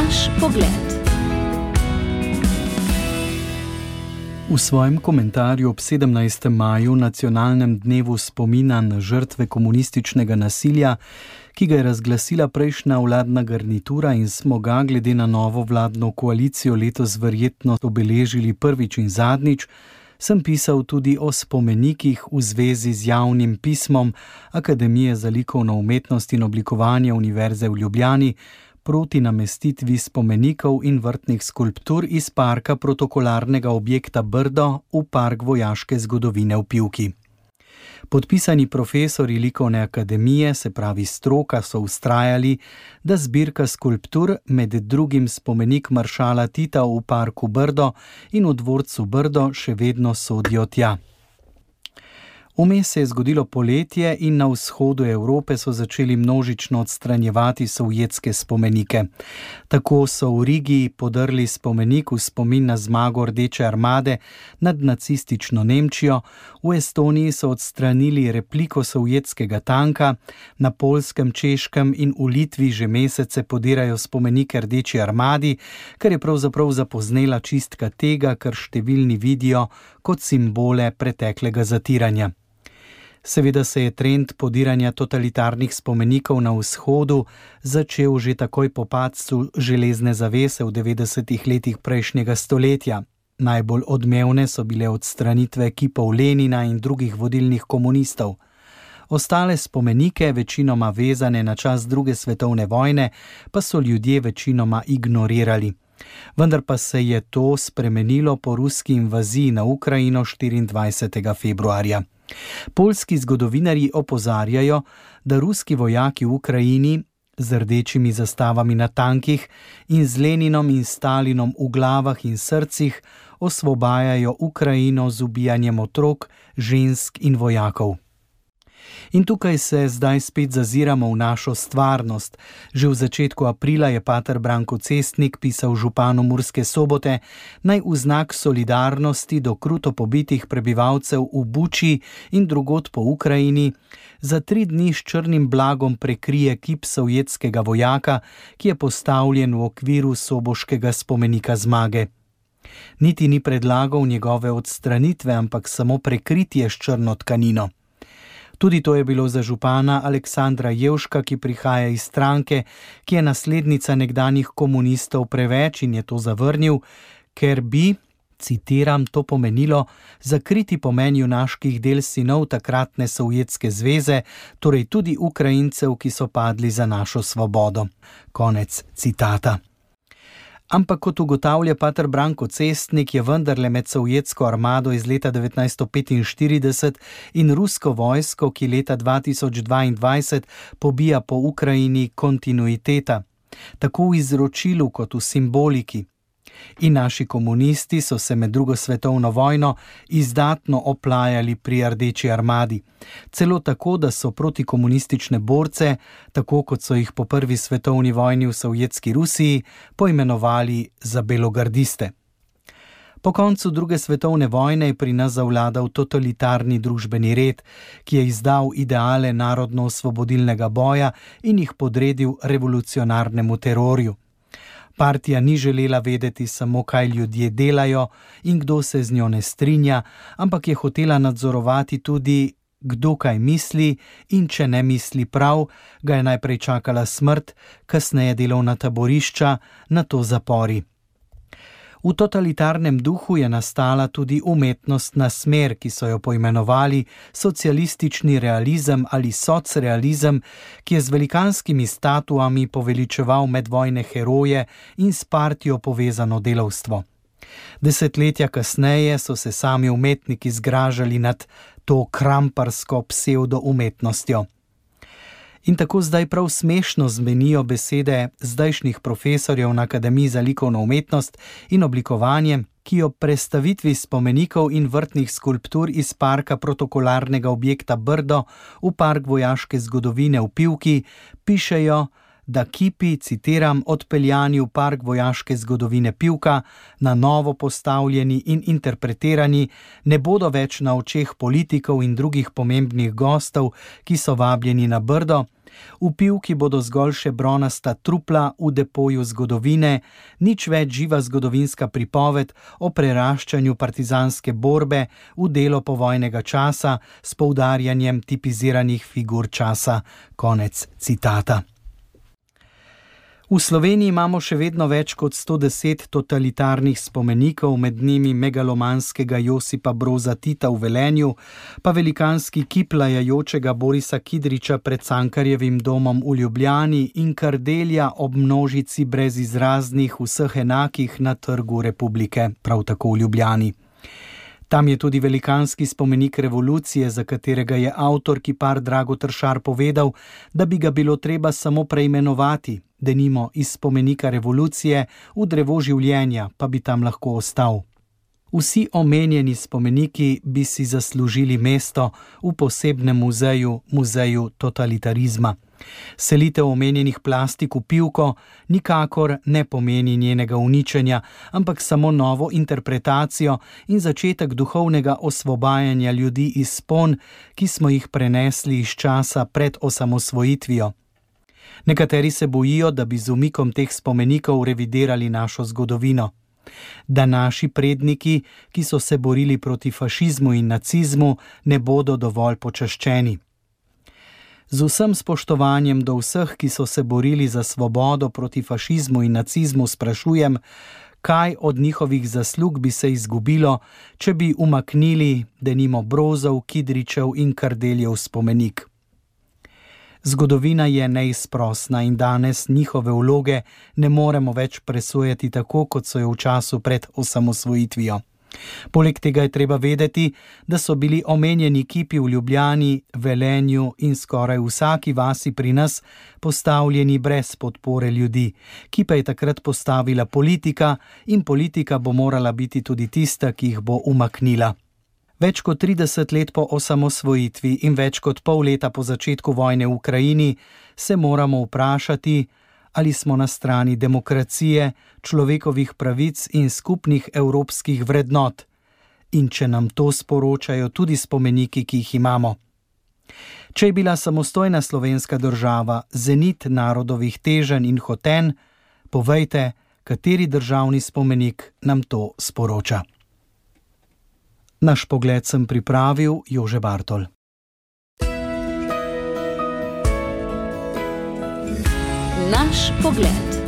Naš pogled. V svojem komentarju ob 17. maju, nacionalnem dnevu spomina na žrtve komunističnega nasilja, ki ga je razglasila prejšnja vladna garnitura in smo ga glede na novo vladno koalicijo letos verjetno obeležili prvič in zadnjič, sem pisal tudi o spomenikih v zvezi z javnim pismom Akademije za likovno umetnost in oblikovanje Univerze v Ljubljani proti namestitvi spomenikov in vrtnih skulptur iz parka protokolarnega objekta Brdo v park vojaške zgodovine v Pivki. Podpisani profesori likovne akademije, se pravi stroka, so vztrajali, da zbirka skulptur, med drugim spomenik maršala Tita v parku Brdo in v dvorcu Brdo, še vedno sodijo tja. Vmes se je zgodilo poletje in na vzhodu Evrope so začeli množično odstranjevati sovjetske spomenike. Tako so v Rigi podrli spomenik v spomin na zmago Rdeče armade nad nacistično Nemčijo, v Estoniji so odstranili repliko sovjetskega tanka, na Poljskem, Češkem in v Litvi že mesece podirajo spomenike Rdeči armadi, kar je pravzaprav zapoznela čistka tega, kar številni vidijo kot simbole preteklega zatiranja. Seveda se je trend podiranja totalitarnih spomenikov na vzhodu začel že takoj po padcu železne zavese v 90. letih prejšnjega stoletja. Najbolj odmevne so bile odstranitve kipov Lenina in drugih vodilnih komunistov. Ostale spomenike, večinoma vezane na čas druge svetovne vojne, pa so ljudje večinoma ignorirali. Vendar pa se je to spremenilo po ruski invaziji na Ukrajino 24. februarja. Poljski zgodovinarji opozarjajo, da ruski vojaki v Ukrajini z rdečimi zastavami na tankih in z Leninom in Stalinom v glavah in srcih osvobajajo Ukrajino z ubijanjem otrok, žensk in vojakov. In tukaj se zdaj spet zaziramo v našo stvarnost. Že v začetku aprila je pater Branko Cestnik pisal županu Murske Sobote, naj v znak solidarnosti do kruto pobitih prebivalcev v Buči in drugod po Ukrajini za 3 dni s črnim blagom prekrije kip sovjetskega vojaka, ki je postavljen v okviru soboškega spomenika zmage. Niti ni predlagal njegove odstranitve, ampak samo prekritje s črno tkanino. Tudi to je bilo za župana Aleksandra Jevška, ki prihaja iz stranke, ki je naslednica nekdanjih komunistov, preveč in je to zavrnil, ker bi, citiram, to pomenilo zakriti pomen junaških del sinov takratne Sovjetske zveze, torej tudi Ukrajincev, ki so padli za našo svobodo. Konec citata. Ampak kot ugotavlja pater Branko Cestnik, je vendarle med sovjetsko armado iz leta 1945 in rusko vojsko, ki leta 2022 pobija po Ukrajini, kontinuiteta, tako v izročilu kot v simboliki. In naši komunisti so se med drugo svetovno vojno izdatno oplajali pri Rdeči armadi. Celo tako, da so protikomunistične borce, tako kot so jih po prvi svetovni vojni v Sovjetski Rusiji, poimenovali za belogardiste. Po koncu druge svetovne vojne je pri nas zavladal totalitarni družbeni red, ki je izdal ideale narodno-osvobodilnega boja in jih podredil revolucionarnemu terorju. Partija ni želela vedeti samo, kaj ljudje delajo in kdo se z njo ne strinja, ampak je hotela nadzorovati tudi, kdo kaj misli, in če ne misli prav, ga je najprej čakala smrt, kasneje delovna taborišča, nato zapori. V totalitarnem duhu je nastala tudi umetnostna smer, ki so jo poimenovali socialistični realizem ali socrealizem, ki je z velikanskimi statuami poveličeval medvojne heroje in s partijo povezano delavstvo. Desetletja kasneje so se sami umetniki zgražali nad to kramparsko psevdoumetnostjo. In tako zdaj prav smešno zmenijo besede zdajšnjih profesorjev na Akademiji za likovno umetnost in oblikovanje, ki ob prestavitvi spomenikov in vrtnih skulptur iz parka protokolarnega objekta Brdo v park vojaške zgodovine v Pivki pišejo, da kipi, citiram, odpeljani v park vojaške zgodovine Pivka, na novo postavljeni in interpretirani, ne bodo več na očeh politikov in drugih pomembnih gostov, ki so vabljeni na Brdo, V Pivki bodo zgolj še bronasta trupla v depoju zgodovine, nič več živa zgodovinska pripoved o preraščanju partizanske borbe v delo povojnega časa s poudarjanjem tipiziranih figur časa. Konec citata. V Sloveniji imamo še vedno več kot 110 totalitarnih spomenikov, med njimi megalomanskega Josipa Broza Tita v Velenju, pa velikanski kip lajajočega Borisa Kidriča pred Cankarjevim domom v Ljubljani in Kardelja ob množici brezizraznih vseh enakih na Trgu Republike, prav tako v Ljubljani. Tam je tudi velikanski spomenik revolucije, za katerega je avtor kipar Drago Tršar povedal, da bi ga bilo treba samo preimenovati, denimo iz spomenika revolucije v drevo življenja, pa bi tam lahko ostal. Vsi omenjeni spomeniki bi si zaslužili mesto v posebnem muzeju, muzeju totalitarizma. Selitev omenjenih plastik v Pivko nikakor ne pomeni njenega uničenja, ampak samo novo interpretacijo in začetek duhovnega osvobajanja ljudi iz spon, ki smo jih prenesli iz časa pred osamosvojitvijo. Nekateri se bojijo, da bi z umikom teh spomenikov revidirali našo zgodovino. Da naši predniki, ki so se borili proti fašizmu in nacizmu, ne bodo dovolj počaščeni. Z vsem spoštovanjem do vseh, ki so se borili za svobodo proti fašizmu in nacizmu, sprašujem, kaj od njihovih zaslug bi se izgubilo, če bi umaknili denimo Brozov, Kidričev in Kardeljev spomenik. Zgodovina je neizprosna in danes njihove vloge ne moremo več presojati tako, kot so jo v času pred osamosvojitvijo. Poleg tega je treba vedeti, da so bili omenjeni kipi v Ljubljani, Velenju in skoraj vsaki vasi pri nas postavljeni brez podpore ljudi, ki pa je takrat postavila politika in politika bo morala biti tudi tista, ki jih bo umaknila. Več kot 30 let po osamosvojitvi in več kot pol leta po začetku vojne v Ukrajini se moramo vprašati, ali smo na strani demokracije, človekovih pravic in skupnih evropskih vrednot, in če nam to sporočajo tudi spomeniki, ki jih imamo. Če je bila samostojna slovenska država zenit narodovih teženj in hotenj, povejte, kateri državni spomenik nam to sporoča. Naš pogled sem pripravil Jože Bartol. Naš pogled.